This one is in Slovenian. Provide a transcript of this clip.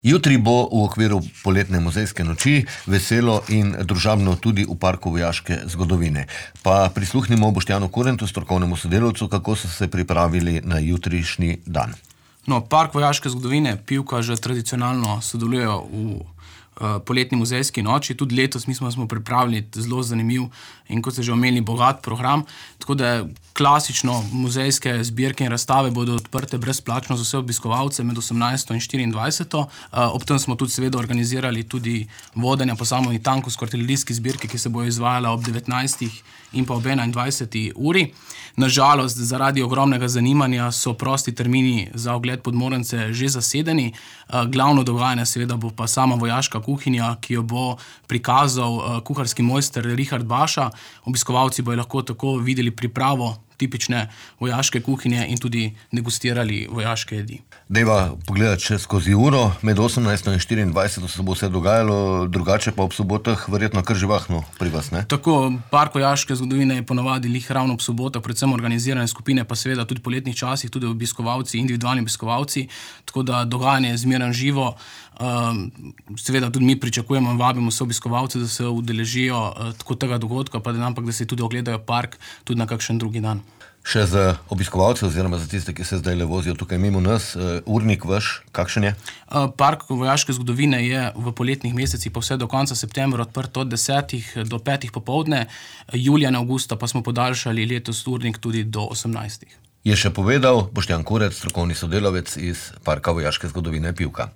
Jutri bo v okviru poletne muzejske noči veselo in družabno tudi v Parku vojaške zgodovine. Pa prisluhnimo Boštjanu Kurentu, strokovnemu sodelavcu, kako so se pripravili na jutrišnji dan. Park vojaške zgodovine Pivka že tradicionalno sodelujejo v poletni muzejski noči. Tudi letos smo pripravili zelo zanimiv in, kot ste že omenili, bogat program. Tako da klasično muzejske zbirke in razstave bodo odprte brezplačno za vse obiskovalce med 18. in 24. Ob tem smo tudi seveda organizirali tudi vodenja po samotni tankovsko-artilerijski zbirki, ki se bo izvajala ob 19. in pa ob 21. uri. Nažalost, zaradi ogromnega zanimanja so prosti termini za ogled Podmornice že zasedeni. Glavno dogajanje seveda bo pa sama vojaška kuhinja, ki jo bo prikazal kuharski mojster Richard Baša. Obiskovalci bodo lahko tako videli pripravo tipične vojaške kuhinje in tudi degustirali vojaške jedi. Dejva pogledati še skozi uro, med 18. in 24. se bo vse dogajalo, drugače pa ob sobotah verjetno kar živahno pri vas, ne? Tako, Park vojaške zgodovine je ponavadi ravno ob sobotah, predvsem organizirane skupine, pa seveda tudi po letnih časih, tudi obiskovalci, individualni obiskovalci, tako da dogajanje je zmeraj živo. Seveda tudi mi pričakujemo in vabimo vse obiskovalce, da se udeležijo tako tega dogodka, pa da se tudi ogledajo park tudi na kakšen drugi dan. Še za obiskovalce oziroma za tiste, ki se zdaj le vozijo tukaj mimo nas, urnik vaš, kakšen je? Park vojaške zgodovine je v poletnih mesecih pa vse do konca septembra odprt od 10. do 5. popoldne, julija in avgusta pa smo podaljšali letos urnik tudi do 18. Je še povedal Boštjan Kuret, strokovni sodelavec iz Parka vojaške zgodovine Pivka.